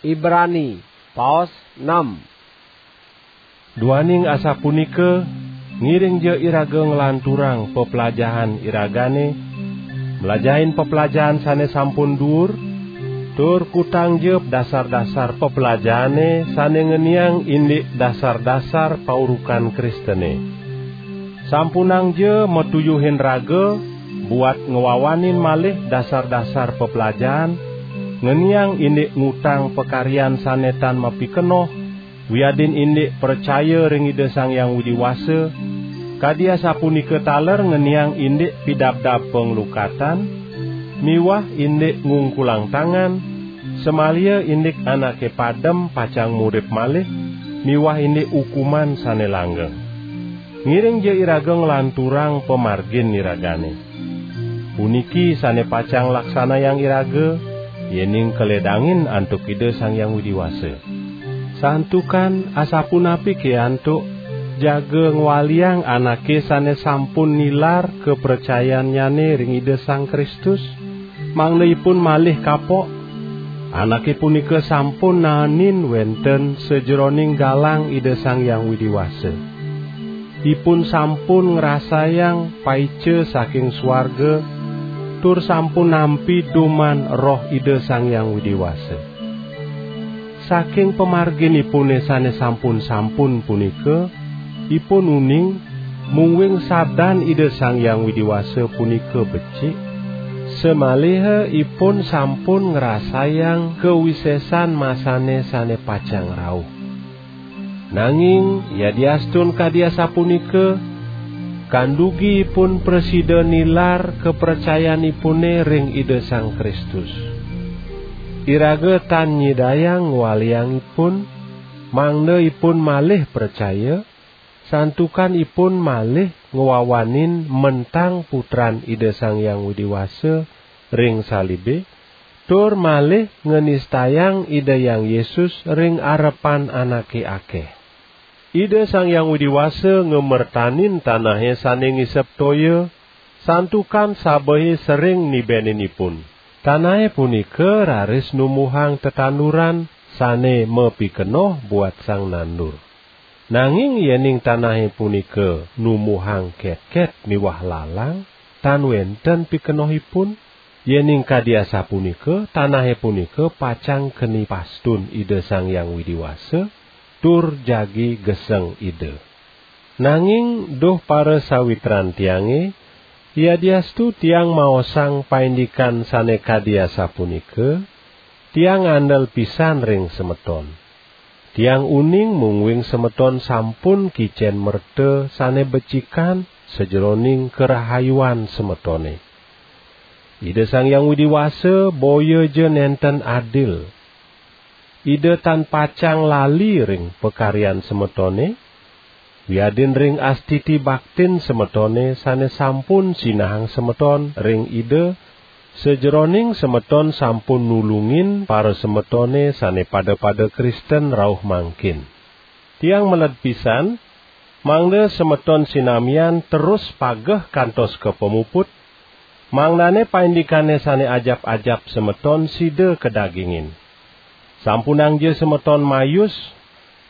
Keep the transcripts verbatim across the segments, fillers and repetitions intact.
Ibrani, paos enam. Duaning asapunika, ngiringja iraga nglanturang peplajahan iragane, mlajahin peplajahan sane sampun duur, tur kutangja dasar-dasar peplajahane sane ngeniang indik dasar-dasar paurukan Kristene. Sampunangja matuyuhin raga buat ngwawanin malih dasar-dasar peplajahan, ngeniang indik ngutang pakaryan sane tan mapikenoh, wiadin indik pracaya ring Ida Sang Hyang Widi Wasa, kadi asapunika taler ngeniang indik pidabdab panglukatan, miwah indik ngungkulang tangan, samaliha indik anake padem pacang murip malih, miwah indik ukuman sane langgeng. Ngiringja iraga nglanturang pamargin iragane. Puniki sane pacang laksanayang iraga, yening kaledangin antuk Ida Sang Hyang Widi Wasa. Santukan asapunapike antuk jaga ngwaliang anake sane sampun nilar kapracayannyane ring Ida Sang Kristus, mangda ipun malih kapok? Anake punika sampun naenin wenten sajeroning galang Ida Sang Hyang Widi Wasa. Ipun sampun ngrasayang paica saking suarga, tur sampun nampi duman Roh Ida Sang Hyang Widi Wasa. Saking pamarginipune sane sampun-sampun punika, ipun uning, mungguing sabdan Ida Sang Hyang Widi Wasa punika becik, samaliha ipun sampun ngrasayang kawisesan masane sane pacang rauh. Nanging, yadiastun kadi asapunika, kandugi ipun prasida nilar kapracayanipune ring Ida Sang Kristus. Iraga tan nyidayang ngwaliang ipun, mangda ipun malih pracaya, santukan ipun malih ngwawanin mentang Putran Ida Sang Hyang Widi Wasa ring salibe, tur malih nganistayang Ida Hyang Yesus ring arepan anake akeh. Ida Sang Hyang Widi Wasa ngamertanin tanahe sane ngisep toya, santukan sabehe sering nibenin ipun. Tanahe punika raris numbuhang tetanduran sane mapikenoh buat sang nandur. Nanging yening tanahe punika numbuhang ketket miwah lalang, tan wenten pikenohipun, yening kadi asapunika, tanahe punika pacang keni pastun Ida Sang Hyang Widi Wasa, tur jagi geseng Ida. Nanging, duh parasawitran tiange, yadiastu tiang maosang paindikan sane kadi asapunika, tiang andel pisan ring semeton. Tiang uning mungguing semeton sampun kicen merta sane becikan sajeroning karahayuan semetone. Ida Sang Hyang Widi Wasa boya ja nenten adil. Ida tan pacang lali ring pakaryan semetone, wiadin ring astiti baktin semetone sane sampun sinahang semeton ring Ida, sajeroning semeton sampun nulungin parasemetone sane pada-pada Kristen rauh mangkin. Tiang meled pisan, mangda semeton sinamian terus pageh kantos ka pamuput, mangdane paindikane sane ajap-ajap semeton sida kadagingin. Sampunangja semeton mayus,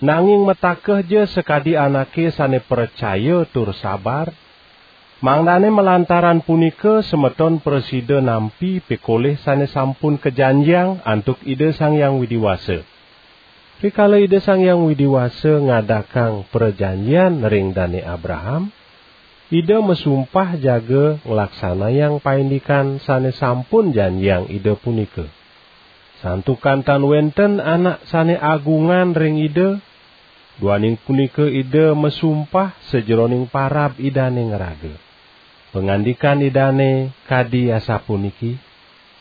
nanging matakehja sakadi anake sane pracaya tur sabar, mangdane malantaran punika semeton prasida nampi pikolih sane sampun kajanjiang antuk Ida Sang Hyang Widi Wasa. Rikala Ida Sang Hyang Widi Wasa ngadakang prajanjian ring Dane Abraham, Ida masumpah jaga nglaksanayang paindikan sane sampun janjiang Ida punika. Santukan tan wenten anak sane agungan ring Ida, duaning punika Ida masumpah sajeroning parab Idane ngraga. Pangandikan Idane kadi asapuniki: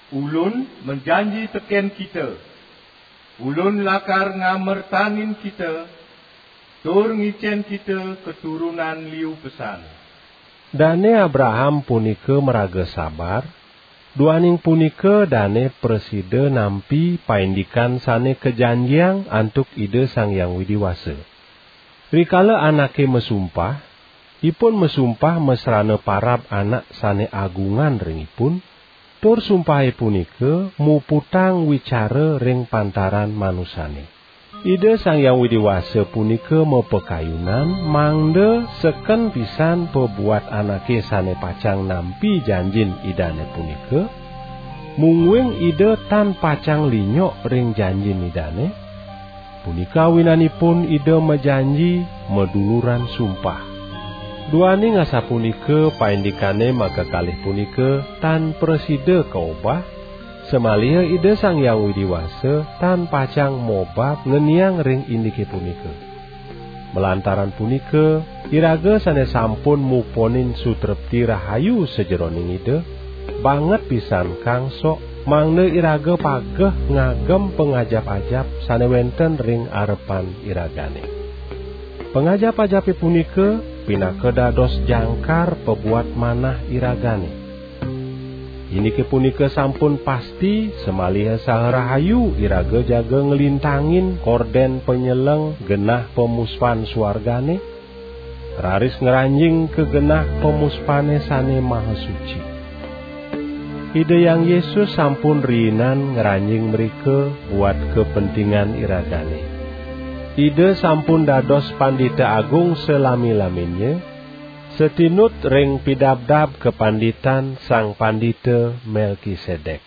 "Ulun majanji teken kita, Ulun lakar ngamertanin kita, tur ngicen kita keturunan liu pesan." Dane Abraham punika maraga sabar, duaning punika dane prasida nampi paindikan sane kajanjiang antuk Ida Sang Hyang Widi Wasa. Rikala anake masumpah, ipun masumpah masrana parab anak sane agungan ring ipun, tur sumpahe punika muputang wicara ring pantaran manusane. Ida Sang Hyang Widi Wasa punika mapakayunan mangda seken pisan pabuat anake sane pacang nampi janjin Idane punika, mungguing Ida tan pacang linyok ring janjin Idane. Punika awinanipun Ida majanji maduluran sumpah. Duaning asapunika paindikane makakalih punika tan prasida kaobah, samaliha Ida Sang Hyang Widi Wasa tan pacang mobab ngeniang ring indike punika. Malantaran punika, iraga sane sampun muponin sutrepti rahayu sajeroning Ida, banget pisan kangsok, mangda iraga pageh ngagem pangajap-ajap sane wenten ring arepan iragane. Pangajap-ajape punika pinaka dados jangkar pabuat manah iragane. Indike punika sampun pasti samaliha saha rahayu iraga jaga nglintangin korden panyeleng genah pamuspan suargane, raris ngranjing ka genah pamuspane sane maha suci. Ida Hyang Yesus sampun riinan ngranjing mrika buat kapentingan iragane. Ida sampun dados Pandita Agung salami-laminnya, satinut ring pidabdab kapanditan Sang Pandita Melkisedek.